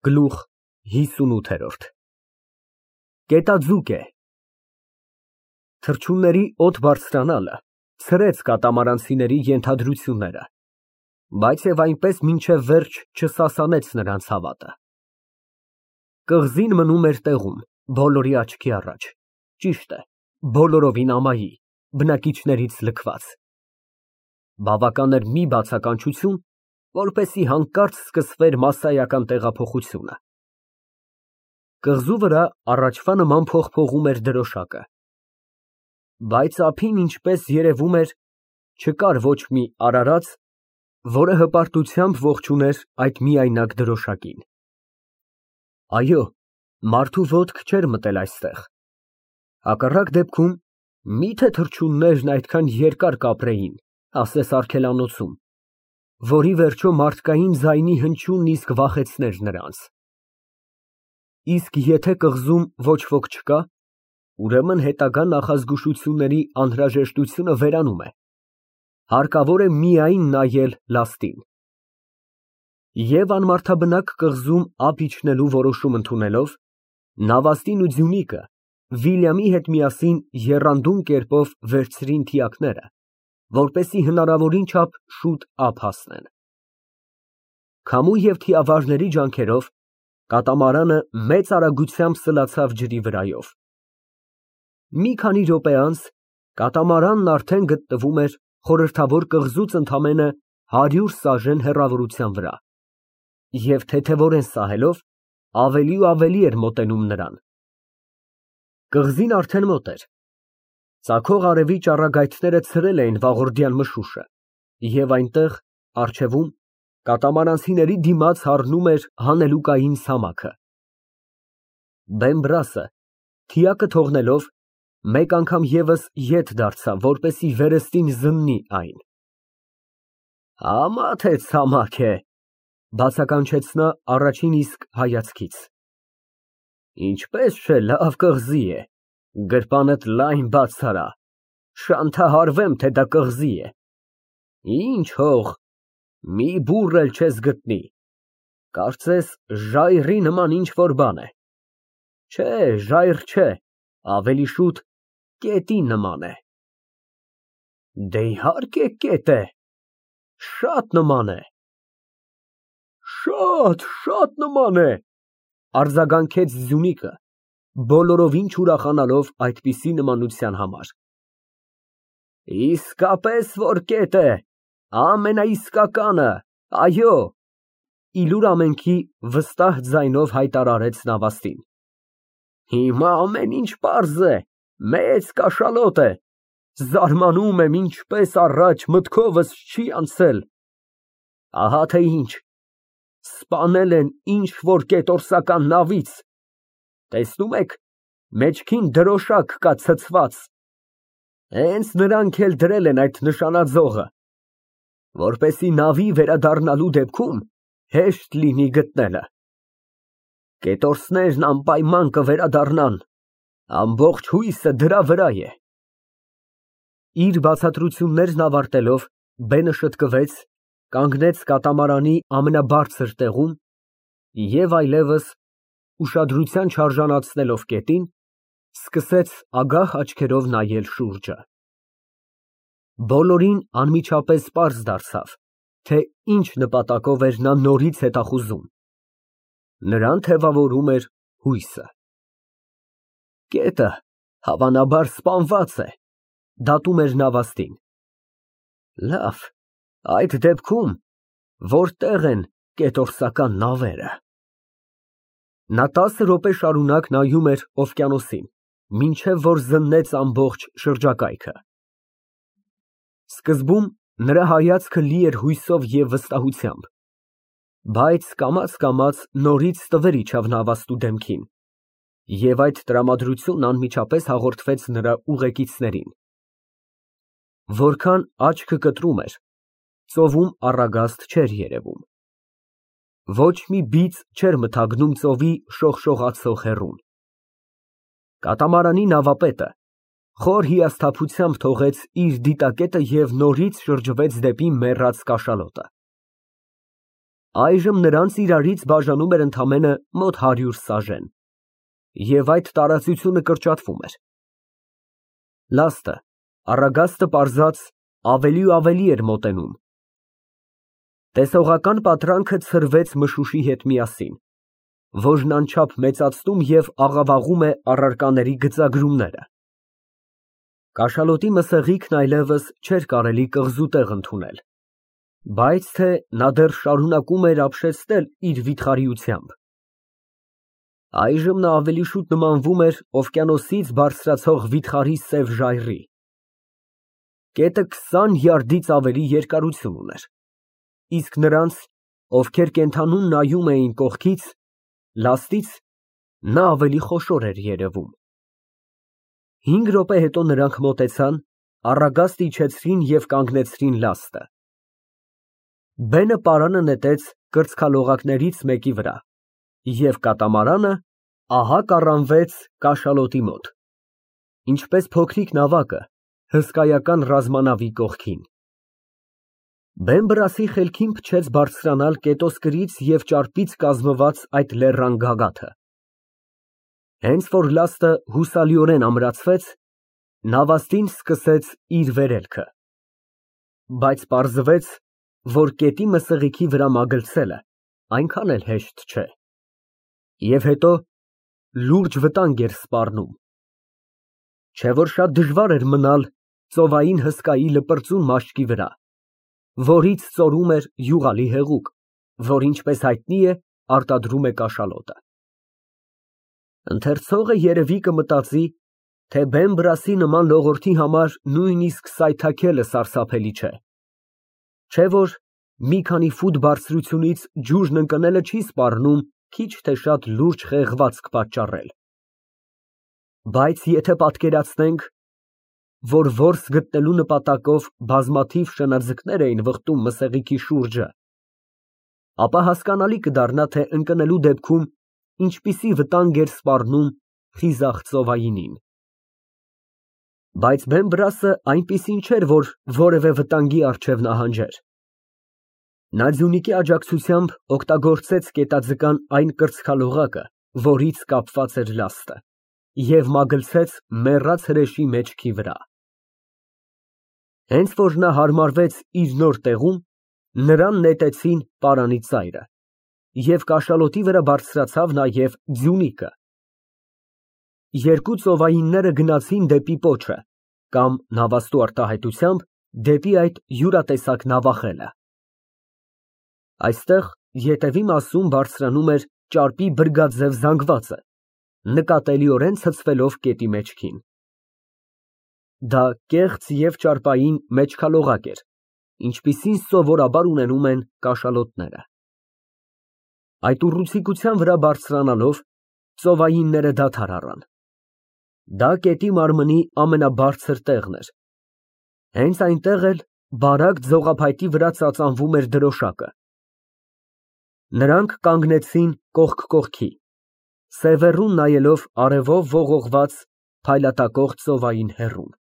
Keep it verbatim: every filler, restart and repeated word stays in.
Գլուխ հիսունութ Գետաձուկ է Թռչունների օդ բարձրանալը ցրեց կատամարանցիների ենթադրությունները, բայց և այնպես մինչև վերջ չսասանեց նրանց հավատը։ Կղզին մնում էր տեղում, բոլորի աչքի առաջ, ճիշտ է, բոլորովին ամայի, բնակիչներից լքված։ Բավական էր մի բացականչություն, որպեսզի հանկարծ սկսվեր մասսայական տեղափոխությունը։ Կղզու վրա առաջվա նման փողփողում էր դրոշակը, բայց ափին, ինչպես երևում էր, չկար ոչ մի արարած, որը հպարտությամբ ողջուներ այդ միայնակ դրոշակին։ Այո, մարդու ոտք չէր մտել այստեղ, հակառակ դեպքում, մի՞թե թռչուններն այդքան երկար կապրեին, ասես արգելանոցում, որի վերջո մարդկային ձայնի հնչյունն իսկ վախեցներ նրանց։ Իսկ եթե կղզում ոչ ոք չկա, ուրեմն հետագա նախազգուշությունների անհրաժեշտությունը վերանում է, հարկավոր է միայն նայել լաստին։ Եվ անմարդաբնակ կղզում ափ իջնելու որոշում ընդունելով, նավաստին ու ձյունիկը Վիլյամի հետ միասին եռանդուն կերպով վերցրին թիակները, որպեսզի հնարավորին չափ շուտ ափ հասնեն։ Քամու և թիավարների ջանքերով կատամարանը մեծ արագությամբ սլացավ ջրի վրայով։ Մի քանի րոպե անց կատամարանն արդեն գտնվում էր խորհրդավոր կղզուց ընդամենը հարյուր սաժեն հեռավորության վրա և թեթևորեն սահելով ավելի ու ավելի էր մոտենում նրան։ Կղզին արդեն մոտ էր։ Ծագող արևի ճառագայթները ցրել էին վաղորդյան մշուշը, և այնտեղ, առջևում, կատամարանցիների դիմաց հառնում էր հանելուկային ցամաքը։ Բեմբրասը, թիակը թողնելով, մեկ անգամ ևս ետ դարձավ, որպեսզի վերստին զննի այն։ Համա թե ցամաք է, բացականչեց նա առաջին իսկ հայացքից։ Ինչպես չէ, լավ կղզի է, գրպանդ լայն բաց արա, շանթահարվեմ, թե դա կղզի է։ Ինչ հող, մի բուռ էլ չես գտնի, կարծես ժայռի նման ինչ֊որ բան է։ Չէ, ժայռ չէ, ավելի շուտ կետի նման է։ Դե իհարկե կետ է, շատ նման է։ Շատ, շատ նման է, արձագանքեց ձյունիկը, բոլորովին չուրախանալով այդպիսի նմանության համար։ Իսկապես որ կետ է, ամենաիսկականը, այո, իլուր ամենքի վստահ ձայնով հայտարարեց նավաստին։ Հիմա ամեն ինչ պարզ է, մեծ կաշալոտ է, զարմանում եմ, ինչպես առաջ մտքովս չի անցել։ Ահա թե ինչ, սպանել են ինչ֊որ կետորսական նավից, տեսնում եք, մեջքին դրոշակ կա ցցված, հենց նրանք էլ դրել են այդ նշանաձողը, որպեսզի նավի վերադառնալու դեպքում հեշտ լինի գտնելը։ Կետորսներն անպայման կվերադառնան, ամբողջ հույսը դրա վրա է։ Իր բացատրություններն ավարտելով, բենը շտկվեց, կանգնեց կատամարանի ամենաբարձր տեղում և այլևս, ուշադրության չարժանացնելով կետին, սկսեց ագահ աչքերով նայել շուրջը։ Բոլորին անմիջապես պարզ դարձավ, թե ինչ նպատակով էր նա նորից հետախուզում։ Նրան թևավորում էր հույսը։ Կետը, հավանաբար, սպանված է, դատում էր նավաստին։ Լավ, այդ դեպքում որտե՞ղ են կետորսական նավերը։ Նա տասը րոպե շարունակ նայում էր օվկիանոսին, մինչև որ զննեց ամբողջ շրջակայքը։ Սկզբում նրա հայացքը լի էր հույսով և վստահությամբ, բայց կամաց֊կամաց նորից տվեր իջավ նավաստու դեմքին, և այդ տրամադրությունն անմիջապես հաղորդվեց նրա ուղեկիցներին։ Որքան աչքը կտրում էր, ծովում առագաստ չէր երևում։ Ոչ մի բիծ չէր մթագնում ծովի շողշողացող հեռուն։ Կատամարանի նավապետը խոր հիասթափությամբ թողեց իր դիտակետը և նորից շրջվեց դեպի մեռած կաշալոտը։ Այժմ նրանց իրարից բաժանում էր ընդամենը մոտ հարյուր սաժեն, և այդ տարածությունը կրճատվում էր։ Լաստը, առագաստը պարզած, ավելի ու ավելի էր մոտենում։ Տեսողական պատրանքը ցրվեց մշուշի հետ միասին, որջն անչափ մեծացնում և աղավաղում է առարկաների գծագրումները։ Կաշալոտի մսեղիկն այլևս չէր կարելի կղզու տեղ ընդունել, բայց թե նա դեռ շարունակում էր ապշեցնել իր վիթխարիությամբ։ Այժմ նա ավելի շուտ նմանվում էր օվկիանոսից բարձրացող վիթխարի սև ժայռի։ Կետը քսան յարդից ավելի երկարություն ուներ, իսկ նրանց, ովքեր կենդանուն նայում էին կողքից, լաստից, նա ավելի խոշոր էր երևում։ Հինգ րոպե հետո նրանք մոտեցան, առագաստ իջեցրին և կանգնեցրին լաստը։ Բենը պարանը նետեց կրծքալողակներից մեկի վրա, և կատամարանը ահա կառանվեց կաշալոտի մոտ, ինչպես փոքրիկ նավակը հսկայական ռազմանավի կողքին։ Բեն֊բրասի խելքին փչեց բարձրանալ կետոսկրից և ճարպից կազմված այդ լեռան գագաթը։ Հենց որ լաստը հուսալիորեն ամրացվեց, նավաստին սկսեց իր վերելքը, բայց պարզվեց, որ կետի մսեղիքի վրա մագլցելը այնքան էլ հեշտ չէ, և հետո լուրջ վտանգ էր սպառնում։ Չէ որ շատ դժվար էր մնալ ծովային հսկայի լպրծուն մաշկի վրա, որից ծորում էր յուղալի հեղուկ, որ, ինչպես հայտնի է, արտադրում է կաշալոտը։ Ընթերցողը երևի կմտածի, թե Բեն֊բրասի նման լողորդի համար նույնիսկ սայթաքելը սարսափելի չէ, չէ որ մի քանի ֆուտ բարձրությունից ջուրջն ընկնելը չի սպառնում քիչ թե շատ լուրջ խեղվածք պատճառել։ Բայց եթե պատկերացնենք, որ որս գտնելու նպատակով բազմաթիվ շնաձկներ էին վխտում մսեղիքի շուրջը, ապա հասկանալի կդառնա, թե ընկնելու դեպքում ինչպիսի վտանգ էր սպառնում խիզախ ծովայինին։ Բայց Բեն֊բրասը այնպիսին չէր, որ որևէ վտանգի առջև նահանջեր։ Նա ձյունիկի աջակցությամբ օգտագործեց կետաձկան այն կրծքալողակը, որից կապված էր լաստը, և մագլցեց մեռած հրեշի մեջքի վրա։ Հենց որ նա հարմարվեց իր նոր տեղում, նրան նետեցին պարանի ծայրը, և կաշալոտի վրա բարձրացավ նաև ձյունիկը։ Երկու ծովայինները գնացին դեպի պոչը կամ, նավաստու արտահայտությամբ, դեպի այդ յուրատեսակ նավախելը։ Այստեղ ետևի մասում բարձրանում էր ճարպի բրգաձև զանգվածը, նկատելիորեն ցցվելով կետի մեջքին։ Դա կեղծ և ճարպային մեջքալողակ էր, ինչպիսին սովորաբար ունենում են կաշալոտները։ Այդ ուռուցիկության վրա բարձրանալով, ծովայինները դադար առան։ Դա կետի մարմնի ամենաբարձր տեղն էր։ Հենց այնտեղ էլ բարակ ձողափայտի վրա ծածանվում էր դրոշակը։ Նրանք կանգնեցին կողք կողքի, սևեռուն նայելով արևով ողողված փայլատակող ծովային հեռուն։